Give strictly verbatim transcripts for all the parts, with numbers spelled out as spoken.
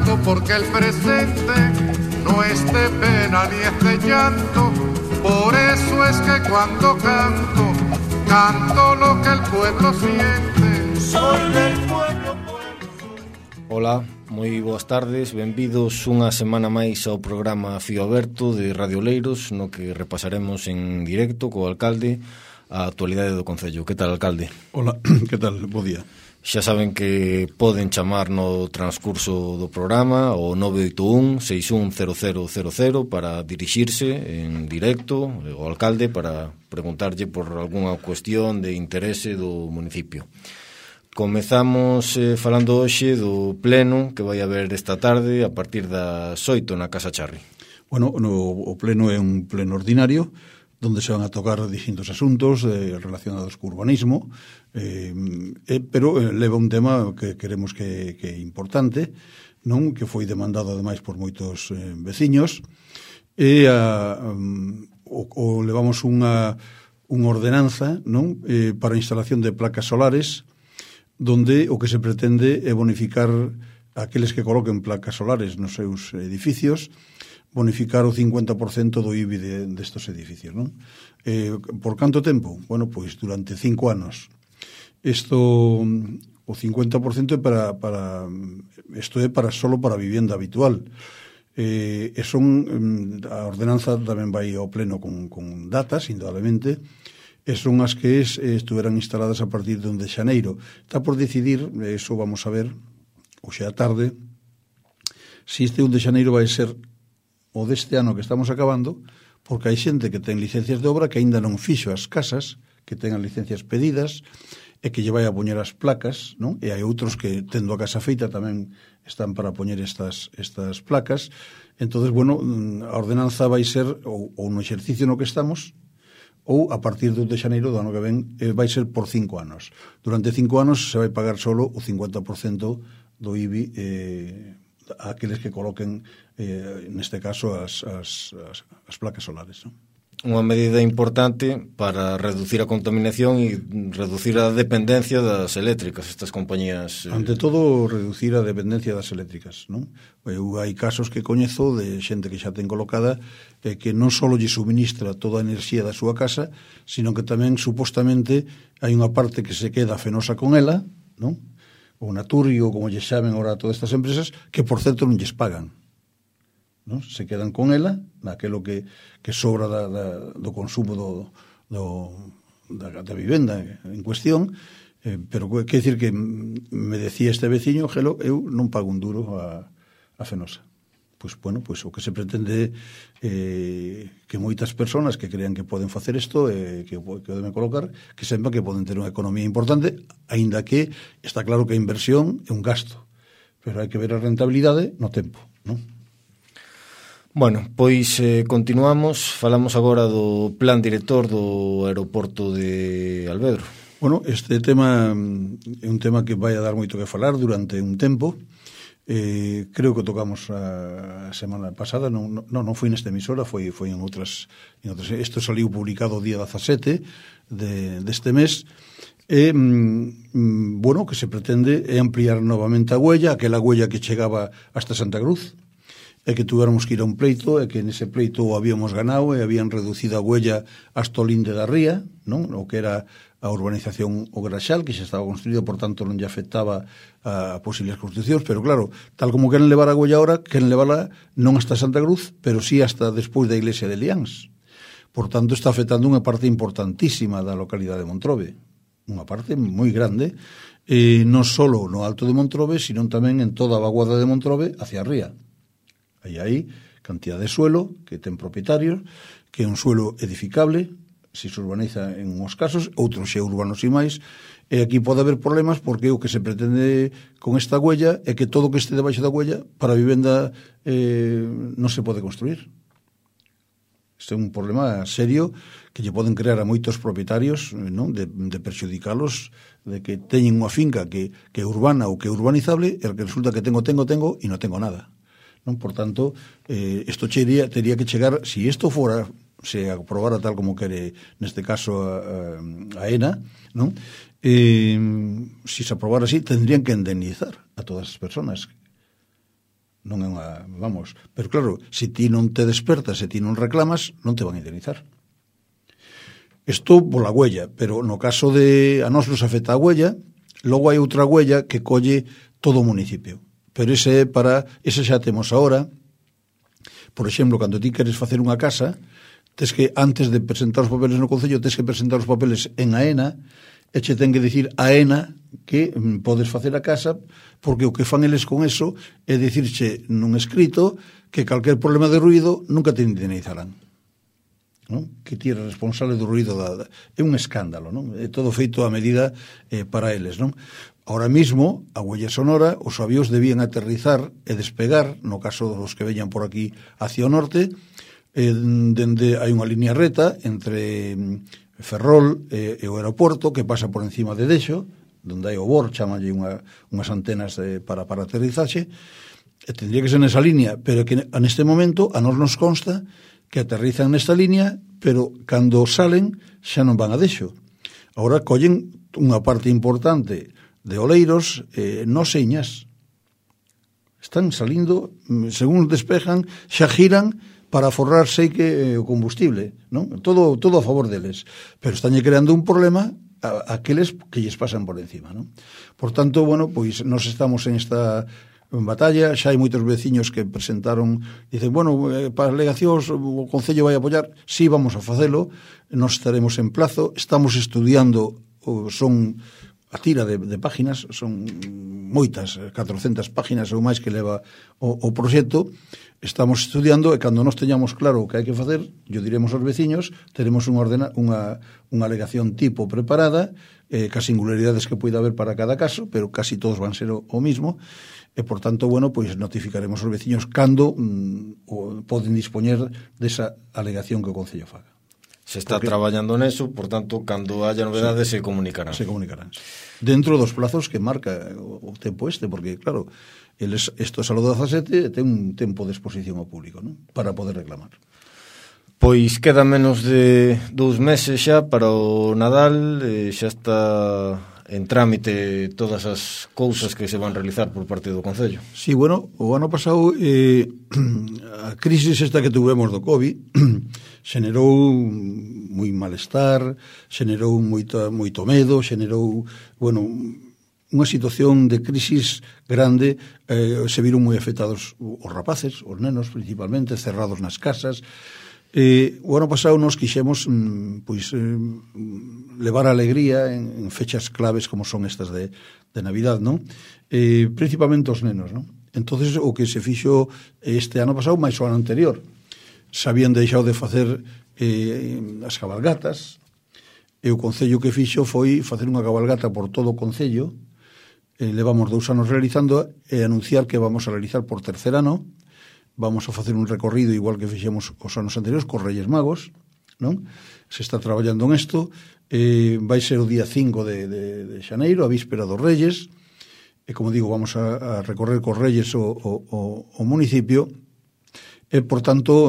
canto porque el presente no es de pena ni es de llanto. Por eso es que cuando canto, canto lo que el pueblo siente. Soy del pueblo, pueblo. Hola, moi boas tardes, benvidos unha semana máis ao programa Fío Aberto de Radio Oleiros, no que repasaremos en directo co alcalde a actualidade do Concello. Que tal, alcalde? Hola, que tal? Bo día. Xa saben que poden chamar no transcurso do programa o nove oito un, seis un cero cero cero cero para dirixirse en directo ao alcalde para preguntarlle por algunha cuestión de interese do municipio. Comezamos eh, falando hoxe do pleno que vai haber esta tarde a partir das oito na Casa Charri. Bueno, no, o pleno é un pleno ordinario donde se van a tocar distintos asuntos eh, relacionados co urbanismo, eh, eh, pero eh, leva un tema que queremos que, que é importante, non, que foi demandado ademais por moitos eh, veciños, e a, um, o, o levamos unha, unha ordenanza, non, eh, para a instalación de placas solares, donde o que se pretende é bonificar aqueles que coloquen placas solares nos seus edificios, bonificar o cincuenta por cento do I B I de, destos edificios, non? Eh, por canto tempo? Bueno, pois durante cinco anos. Isto, o cincuenta por cento é para, para isto é para solo para vivienda habitual. Eh, e son, a ordenanza tamén vai ao pleno con, con datas, indudablemente, e son as que es, estuveran instaladas a partir de un de xaneiro. Está por decidir, eso vamos a ver, hoxe a tarde, se este un de xaneiro vai ser o deste ano que estamos acabando, porque hai xente que ten licencias de obra que aínda non fixo as casas, que ten as licencias pedidas, e que lle vai a poñer as placas, non? E hai outros que, tendo a casa feita, tamén están para poñer estas, estas placas. Entonces, bueno, a ordenanza vai ser ou, ou no exercicio no que estamos, ou a partir do de xaneiro do ano que ven, eh, vai ser por cinco anos. Durante cinco anos se vai pagar solo o cincuenta por cento do I B I eh, a aqueles que coloquen, eh, neste caso, as, as, as, as placas solares, non? Unha medida importante para reducir a contaminación e reducir a dependencia das eléctricas, estas compañías. Eh... Ante todo, reducir a dependencia das eléctricas, non? Eu, hai casos que coñezo de xente que xa ten colocada eh, que non só lle suministra toda a enerxía da súa casa, sino que tamén, supostamente, hai unha parte que se queda fenosa con ela, non? Ou Naturio, como lle xamen agora a todas estas empresas, que, por certo, non lles pagan. Non? Se quedan con ela, naquelo que, que sobra da, da, do consumo do, do, da, da vivenda en cuestión, eh, pero quer dicir que me decía este veciño, Gelo, eu non pago un duro a, a Fenosa. Pois, bueno, pois o que se pretende eh, que moitas persoas que crean que poden facer isto, eh, que, que deben colocar, que sepan que poden ter unha economía importante, aínda que está claro que a inversión é un gasto, pero hai que ver a rentabilidade no tempo, non? Bueno, pois eh, continuamos, falamos agora do plan director do aeroporto de Alvedro. Bueno, este tema é un tema que vai a dar moito que falar durante un tempo. Eh, creo que tocamos a semana pasada, non, non, non foi nesta emisora, foi, foi en outras, en outras. Isto saliu publicado o día dezasete de, deste mes. E, mm, bueno, que se pretende é ampliar novamente a huella, aquela huella que chegaba hasta Santa Cruz, e que tuéramos que ir a un pleito, e que nese pleito o habíamos ganado e habían reducido a huella hasta o linde da ría, non? O que era a urbanización O Graxal, que xa estaba construído, por tanto non lle afectaba a posibles construccións, pero claro, tal como queren levar a huella ahora, queren levarla non hasta Santa Cruz, pero sí hasta despois da iglesia de Liáns. Por tanto, está afectando unha parte importantísima da localidade de Montrobe, unha parte moi grande, e non só no Alto de Montrobe, sino tamén en toda a vaguada de Montrobe hacia a ría. Aí hai cantidad de suelo que ten propietarios, que é un suelo edificable, se se urbaniza en uns casos, outros xe urbanos e máis, e aquí pode haber problemas porque o que se pretende con esta huella é que todo o que este debaixo da huella para a vivenda eh, non se pode construir. Este é un problema serio que lle poden crear a moitos propietarios, non? De, de perxudicalos, de que teñen unha finca que, que é urbana ou que é urbanizable, e que resulta que tengo, tengo, tengo e non tengo nada. Non? Por tanto, eh, isto chería, tería que chegar, se si isto fora, se aprobara tal como quere, neste caso, a, a ENA, non? Eh, se si se aprobara así, tendrían que indemnizar a todas as personas. Non é unha, vamos, pero claro, se ti non te despertas, se ti non reclamas, non te van a indemnizar. Isto pola huella, pero no caso de a nós nos afecta a huella, logo hai outra huella que colle todo o municipio. Pero ese é para, ese xa temos agora. Por exemplo, cando ti queres facer unha casa, tes que, antes de presentar os papeles no Concello, tes que presentar os papeles en AENA, e che ten que dicir AENA que podes facer a casa, porque o que fan eles con eso é dicirche nun escrito que calquer problema de ruido nunca te indemnizarán, non? Que ti eres responsable do ruido da, da, é un escándalo, non? É todo feito a medida eh, para eles, non? Ahora mismo, a huella sonora, os avións debían aterrizar e despegar, no caso dos que veñan por aquí hacia o norte, eh, dende hai unha línea reta entre Ferrol e, e o aeroporto que pasa por encima de Dexo, donde hai o Bor, chamalle unha, unhas antenas de, para, para aterrizaxe, e tendría que ser nesa línea, pero que neste momento a nos nos consta que aterrizan nesta línea, pero cando salen xa non van a Dexo. Agora collen unha parte importante de Oleiros, eh, no señas. Están salindo, según despejan, xa giran para forrar sei que o combustible, non? Todo todo a favor deles, pero estánlle creando un problema a aqueles que lles pasan por encima, non? Por tanto, bueno, pois nos estamos en esta batalla, xa hai moitos veciños que presentaron, dicen, bueno, eh, para alegacións o Concello vai apoiar, sí, vamos a facelo, nos estaremos en plazo, estamos estudiando, son a tira de, de páginas, son moitas, catrocentas páginas ou máis que leva o, o proxecto. Estamos estudiando e cando nos teñamos claro o que hai que facer, yo diremos aos veciños, teremos unha, ordena, unha, unha alegación tipo preparada, eh, cas singularidades que poida haber para cada caso, pero casi todos van ser o, o mismo, e por tanto, bueno, pois notificaremos aos veciños cando mm, o, poden dispoñer desa alegación que o Concello faga. Se está Porque, traballando neso, por tanto, cando haya novedades se, se comunicarán. Se comunicarán. Dentro dos plazos que marca o, o tempo este, porque, claro, eles, isto é a do dezasete, ten un tempo de exposición ao público, non? Para poder reclamar. Pois queda menos de dous meses xa para o Nadal, e xa está en trámite todas as cousas que se van realizar por parte do Concello. Sí, bueno, o ano pasado eh, a crisis esta que tuvemos do COVID xenerou moi malestar, xenerou moito, moito medo, xenerou, bueno, unha situación de crisis grande, eh, se viron moi afectados os rapaces, os nenos principalmente, cerrados nas casas. Eh, o ano pasado nos quixemos mm, pois, eh, levar a alegría en, en fechas claves como son estas de, de Navidad, non? Eh, principalmente os nenos, non? Entonces o que se fixo este ano pasado máis o ano anterior, se habían deixado de facer eh, as cabalgatas, e o Concello que fixo foi facer unha cabalgata por todo o Concello, eh, levamos dous anos realizando, e anunciar que vamos a realizar por tercer ano. Vamos a facer un recorrido igual que fixemos os anos anteriores cos Reyes Magos, non? Se está traballando en isto, eh, vai ser o día cinco de, de, de xaneiro, a víspera dos Reyes, e como digo, vamos a, a recorrer cos Reyes o, o, o, o municipio, e por tanto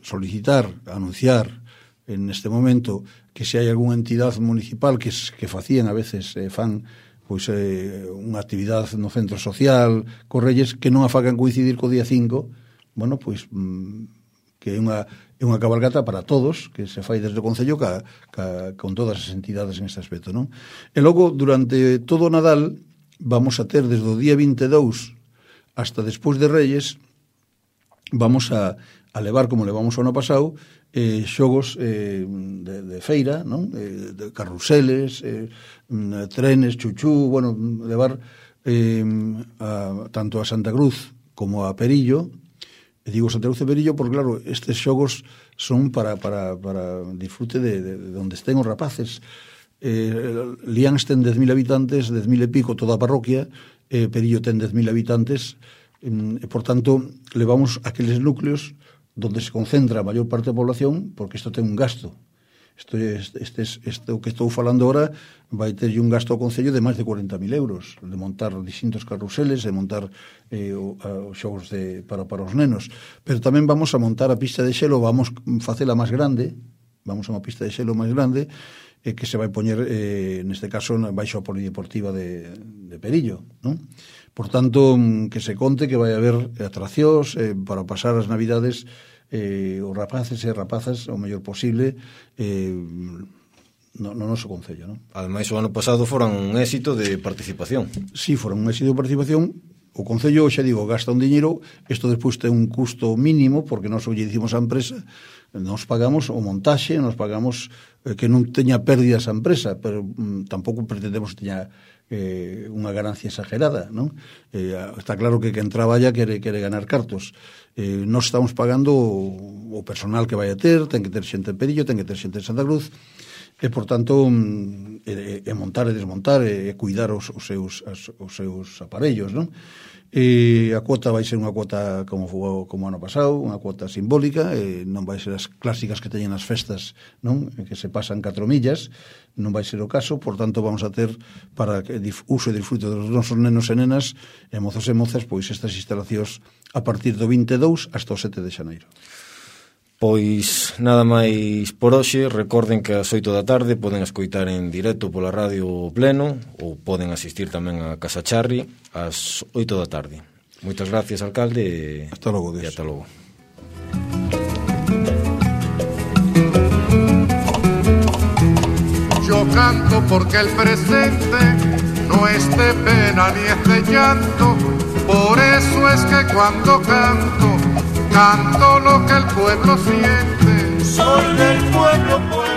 solicitar, anunciar en este momento que se hai algunha entidade municipal que, que facían a veces, eh, fan pois eh, unha actividade no centro social cos Reyes que non a fagan coincidir co día cinco, bueno, pois mm, que é unha, é unha cabalgata para todos, que se fai desde o Concello ca, ca, con todas as entidades en este aspecto, non? E logo, durante todo o Nadal, vamos a ter desde o día vinte e dous hasta despois de Reyes, vamos a, a levar, como levamos o ano pasado, eh, xogos eh, de, de feira, non? Eh, de carruseles, eh, trenes, chuchú, bueno, levar eh, a, tanto a Santa Cruz como a Perillo. E digo Santa Cruz e Perillo porque, claro, estes xogos son para, para, para disfrute de, de, de onde estén os rapaces. Eh, Lians ten dez mil habitantes, dez mil e pico toda a parroquia, eh, Perillo ten dez mil habitantes, e, por tanto, levamos aqueles núcleos donde se concentra a maior parte da población, porque isto ten un gasto. Isto, este, este, este, o que estou falando ahora vai ter un gasto ao Concello de máis de cuarenta mil euros, de montar distintos carruseles, de montar eh, os xogos de, para, para os nenos. Pero tamén vamos a montar a pista de xelo, vamos facela máis grande, vamos a unha pista de xelo máis grande eh, que se vai poñer, eh, neste caso, baixo a polideportiva de, de Perillo, non? Por tanto, que se conte que vai haber atraccións eh, para pasar as Navidades eh, os rapaces e rapazas o mellor posible eh, no, no noso concello, non? Ademais, o ano pasado foran un éxito de participación. Si, sí, foran un éxito de participación. O concello, xa digo, gasta un diñeiro, isto despois ten un custo mínimo, porque nós o lle dicimos á empresa, nos pagamos o montaxe, nos pagamos eh, que non teña pérdidas a empresa, pero mm, tampouco pretendemos que teña eh, unha ganancia exagerada, non? Eh, está claro que quen traballa quere, quere ganar cartos. Eh, nós estamos pagando o, o personal que vai a ter, ten que ter xente en Perillo, ten que ter xente en Santa Cruz, e, por tanto, e, e montar e desmontar e cuidar os, os, seus, as, os seus aparellos, non? E a cuota vai ser unha cuota como foi como ano pasado, unha cuota simbólica, e non vai ser as clásicas que teñen as festas, non? Que se pasan catro millas, non vai ser o caso, por tanto vamos a ter para que uso e disfrute dos nosos nenos e nenas e mozos e mozas, pois estas instalacións a partir do vinte e dous hasta o sete de xaneiro. Pois nada máis por hoxe. Recorden que ás oito da tarde poden escoitar en directo pola radio Pleno, ou poden asistir tamén a Casa Charri ás oito da tarde. Moitas gracias, alcalde. Hasta logo, e hasta logo. Yo canto porque el presente no es de pena ni es de llanto, por eso es que cuando canto canto lo que el pueblo siente. Soy del pueblo, pueblo.